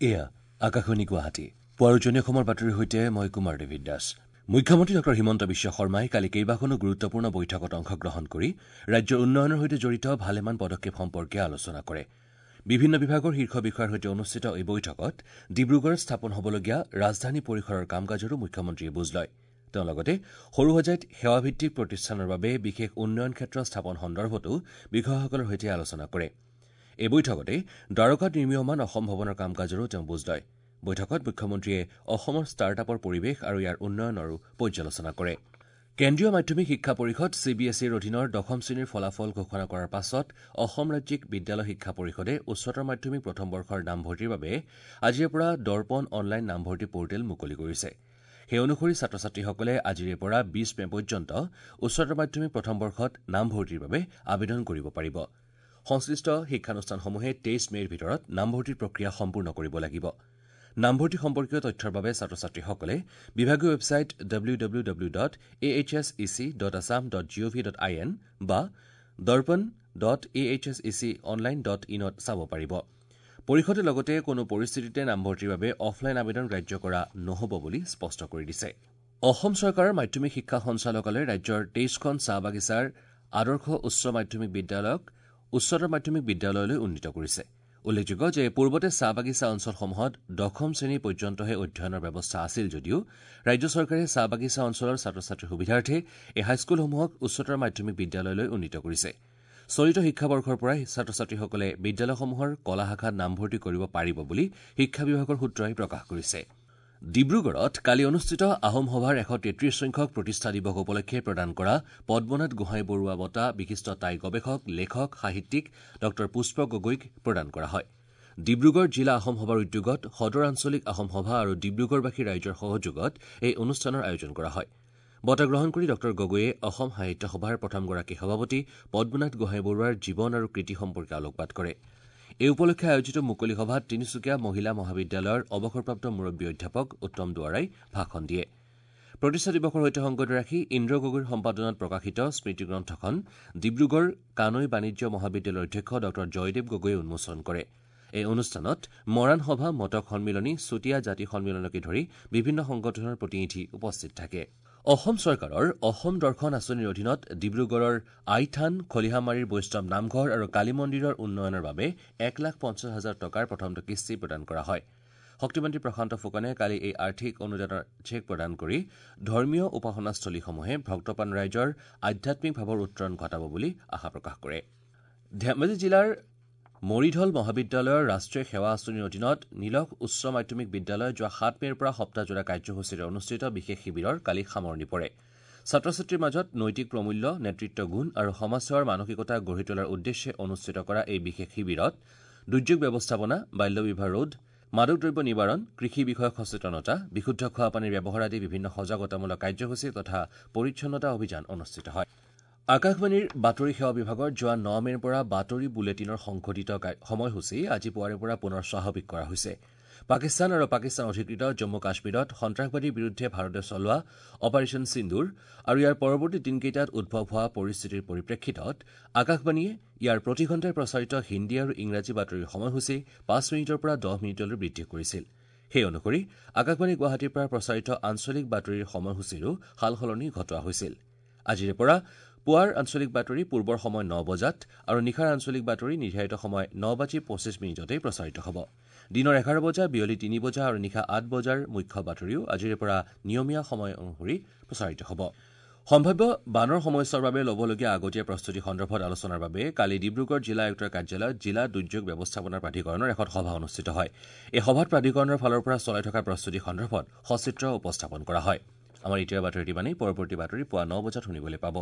এয়া আকাশবাণী গুৱাহাটী। পুৱাৰ উজনি অসমৰ বাতৰিৰ সৈতে মই কুমাৰ ডেভিড দাস। মুখ্যমন্ত্ৰী ডঃ হিমন্ত বিশ্ব শৰ্মাই কালি কেইবাখনো গুৰুত্বপূৰ্ণ বৈঠকত অংশগ্ৰহণ কৰি ৰাজ্যৰ উন্নয়নৰ সৈতে জড়িত ভালেমান পদক্ষেপ সম্পৰ্কে আলোচনা কৰে। বিভিন্ন বিভাগৰ শীৰ্ষ বিষয়াৰ সৈতে অনুষ্ঠিত এই বৈঠকত ডিব্ৰুগড়ত স্থাপন হ'বলগীয়া ৰাজধানী পৰিসৰৰ কাম কাজৰো মুখ্যমন্ত্ৰীয়ে বুজ লয়। তেওঁ লগতে সৰুসজাইত সেৱাভিত্তিক প্ৰতিষ্ঠানৰ বাবে বিশেষ উন্নয়ন ক্ষেত্ৰ স্থাপন সন্দৰ্ভতো বিষয়াসকলৰ সৈতে আলোচনা কৰে। এই বৈঠকতে দ্বাৰকাত নিৰ্মীয়মান অসম ভৱনৰ কাম কাজৰো তেওঁ বুজ লয়। বৈঠকত মুখ্যমন্ত্ৰীয়ে অসমৰ ষ্টাৰ্ট-আপৰ পৰিৱেশ আৰু ইয়াৰ উন্নয়নৰো পৰ্যালোচনা কৰে। কেন্দ্ৰীয় মাধ্যমিক শিক্ষা পৰিষদ চি বি এছ ইৰ অধীনৰ দশম শ্ৰেণীৰ ফলাফল ঘোষণা কৰাৰ পাছত অসম ৰাজ্যিক বিদ্যালয় শিক্ষা পৰিষদে উচ্চতৰ মাধ্যমিক প্ৰথম বৰ্ষৰ নামভৰ্তিৰ বাবে আজিৰে পৰা দৰ্পণ অনলাইন নামভৰ্তি পৰ্টেল মুকলি কৰিছে। সেই অনুসৰি ছাত্ৰ ছাত্ৰীসকলে আজিৰে পৰা ২০ মে পৰ্যন্ত উচ্চতৰ মাধ্যমিক প্ৰথম বৰ্ষত নামভৰ্তিৰ বাবে আবেদন কৰিব পাৰিব। সংশ্লিষ্ট শিক্ষানুষ্ঠানসমূহে ২৩ মেৰ ভিতৰত নামভৰ্তিৰ প্ৰক্ৰিয়া সম্পূৰ্ণ কৰিব লাগিব। নামভৰ্তি সম্পৰ্কীয় তথ্যৰ বাবে ছাত্ৰ ছাত্ৰীসকলে বিভাগীয় ৱেবছাইট www.ahsec.assam.gov.in বা darpan.ahseconline.inত চাব পাৰিব। পৰিষদে লগতে কোনো পৰিস্থিতিতে নামভৰ্তিৰ বাবে অফলাইন আবেদন গ্ৰাহ্য কৰা নহ'ব বুলি স্পষ্ট কৰি দিছে। অসম চৰকাৰৰ মাধ্যমিক শিক্ষা সঞ্চালকালয়ে ৰাজ্যৰ ২৩খন চাহ বাগিচাৰ আদৰ্শ উচ্চ মাধ্যমিক বিদ্যালয়ক উচ্চতৰ মাধ্যমিক বিদ্যালয়লৈ উন্নীত কৰিছে। উল্লেখযোগ্য যে পূৰ্বতে চাহ বাগিচা অঞ্চলসমূহত দশম শ্ৰেণী পৰ্যন্তহে অধ্যয়নৰ ব্যৱস্থা আছিল যদিও ৰাজ্য চৰকাৰে চাহ বাগিচা অঞ্চলৰ ছাত্ৰ ছাত্ৰীৰ সুবিধাৰ্থে এই হাইস্কুলসমূহক উচ্চতৰ মাধ্যমিক বিদ্যালয়লৈ উন্নীত কৰিছে। চলিত শিক্ষাবৰ্ষৰ পৰাই ছাত্ৰ ছাত্ৰীসকলে বিদ্যালয়সমূহৰ কলা শাখাত নামভৰ্তি কৰিব পাৰিব বুলি শিক্ষা বিভাগৰ সূত্ৰই প্ৰকাশ কৰিছে। ডিব্ৰুগড়ত কালি অনুষ্ঠিত আহোম সভাৰ ১৩৩ সংখ্যক প্ৰতিষ্ঠা দিৱস উপলক্ষে প্ৰদান কৰা পদ্মনাথ গোহাঁই বৰুৱা বঁটা বিশিষ্ট টাই গৱেষক, লেখক, সাহিত্যিক ডঃ পুষ্প গগৈক প্ৰদান কৰা হয়। ডিব্ৰুগড় জিলা আহোম সভাৰ উদ্যোগত সদৰ আঞ্চলিক আহোম সভা আৰু ডিব্ৰুগড়বাসী ৰাইজৰ সহযোগত এই অনুষ্ঠানৰ আয়োজন কৰা হয়। বঁটা গ্ৰহণ কৰি ডঃ গগৈয়ে অসম সাহিত্য সভাৰ প্ৰথমগৰাকী সভাপতি পদ্মনাথ গোহাঁই বৰুৱাৰ জীৱন আৰু কৃতি সম্পৰ্কে আলোকপাত কৰে। এই উপলক্ষে আয়োজিত মুকলি সভাত তিনিচুকীয়া মহিলা মহাবিদ্যালয়ৰ অৱসৰপ্ৰাপ্ত মুৰব্বী অধ্যাপক উত্তম দুৱাৰাই ভাষণ দিয়ে। প্ৰতিষ্ঠা দিৱসৰ সৈতে সংগতি ৰাখি ইন্দ্ৰ গগৈৰ সম্পাদনাত প্ৰকাশিত স্মৃতিগ্ৰন্থখন ডিব্ৰুগড় কানৈ বাণিজ্য মহাবিদ্যালয়ৰ অধ্যক্ষ ডঃ জয়দেৱ গগৈয়ে উন্মোচন কৰে। এই অনুষ্ঠানত মৰাণ সভা, মটক সন্মিলনী, চুতীয়া জাতি সন্মিলনকে ধৰি বিভিন্ন সংগঠনৰ প্ৰতিনিধি উপস্থিত থাকে। অসম চৰকাৰৰ অসম দৰ্শন আঁচনিৰ অধীনত ডিব্ৰুগড়ৰ আইথান, খলিহামাৰীৰ বৈষ্ণৱ নামঘৰ আৰু কালী মন্দিৰৰ উন্নয়নৰ বাবে ১,৫০,০০০ টকাৰ প্ৰথমটো কিস্তি প্ৰদান কৰা হয়। শক্তিমন্ত্ৰী প্ৰশান্ত ফুকনে কালি এই আৰ্থিক অনুদানৰ চেক প্ৰদান কৰি ধৰ্মীয় উপাসনাস্থলীসমূহে ভক্তপ্ৰাণ ৰাইজৰ আধ্যাত্মিক ভাৱৰ উত্তৰণ ঘটাব বুলি আশা প্ৰকাশ কৰে। ধেমাজি জিলাৰ মৰিধল মহাবিদ্যালয়ৰ ৰাষ্ট্ৰীয় সেৱা আঁচনিৰ অধীনত নীলখ উচ্চ মাধ্যমিক বিদ্যালয় যোৱা ৭ মেৰ পৰা সপ্তাহজোৰা কাৰ্যসূচীৰে অনুষ্ঠিত বিশেষ শিবিৰৰ কালি সামৰণি পৰে। ছাত্ৰ ছাত্ৰীৰ মাজত নৈতিক প্ৰমূল্য, নেতৃত্ব গুণ আৰু সমাজসেৱাৰ মানসিকতা গঢ়ি তোলাৰ উদ্দেশ্যে অনুষ্ঠিত কৰা এই বিশেষ শিবিৰত দুৰ্যোগ ব্যৱস্থাপনা, বাল্যবিবাহ ৰোধ, মাদক দ্ৰব্য নিবাৰণ, কৃষি বিষয়ক সচেতনতা, বিশুদ্ধ খোৱাপানীৰ ব্যৱহাৰ আদি বিভিন্ন সজাগতামূলক কাৰ্যসূচী তথা পৰিচ্ছন্নতা অভিযান অনুষ্ঠিত হয়। আকাশবাণীৰ বাতৰি সেৱা বিভাগৰ যোৱা ৯ মেৰ পৰা বাতৰি বুলেটিনৰ সংশোধিত সময়সূচী আজি পুৱাৰে পৰা পুনৰ স্বাভাৱিক কৰা হৈছে। পাকিস্তান আৰু পাকিস্তান অধিকৃত জম্মু কাশ্মীৰত সন্ত্ৰাসবাদীৰ বিৰুদ্ধে ভাৰতে চলোৱা অপাৰেচন সিন্দুৰ আৰু ইয়াৰ পৰৱৰ্তী দিনকেইটাত উদ্ভৱ হোৱা পৰিস্থিতিৰ পৰিপ্ৰেক্ষিতত আকাশবাণীয়ে ইয়াৰ প্ৰতি ঘণ্টাই প্ৰচাৰিত হিন্দী আৰু ইংৰাজী বাতৰিৰ সময়সূচী ৫ মিনিটৰ পৰা ১০ মিনিটলৈ বৃদ্ধি কৰিছিল। সেই অনুসৰি আকাশবাণী গুৱাহাটীৰ পৰা প্ৰচাৰিত আঞ্চলিক বাতৰিৰ সময়সূচীৰো সালসলনি ঘটোৱা হৈছিল। আজিৰে পৰা পুৱাৰ আঞ্চলিক বাতৰি পূৰ্বৰ সময় ৯ বজাত আৰু নিশাৰ আঞ্চলিক বাতৰি নিৰ্ধাৰিত সময় ৯:২৫ প্ৰচাৰিত হ'ব। দিনৰ ১১ বজা, বিয়লি ৩ বজা আৰু নিশা ৮ বজাৰ মুখ্য বাতৰিও আজিৰে পৰা নিয়মীয়া সময় অনুসৰি প্ৰচাৰিত হ'ব। সম্ভাৱ্য বানৰ সমস্যাৰ বাবে ল'বলগীয়া আগতীয়া প্ৰস্তুতি সন্দৰ্ভত আলোচনাৰ বাবে কালি ডিব্ৰুগড় জিলা আয়ুক্তৰ কাৰ্যালয়ত জিলা দুৰ্যোগ ব্যৱস্থাপনা প্ৰাধিকৰণৰ এখন সভা অনুষ্ঠিত হয়। এই সভাত প্ৰাধিকৰণৰ ফালৰ পৰা চলাই থকা প্ৰস্তুতি সন্দৰ্ভত সচিত্ৰ উপস্থাপন কৰা হয়। আমাৰ এতিয়াৰ বাতৰি ইমানেই। পৰৱৰ্তী বাতৰি পুৱা ৯ বজাত শুনিবলৈ পাব।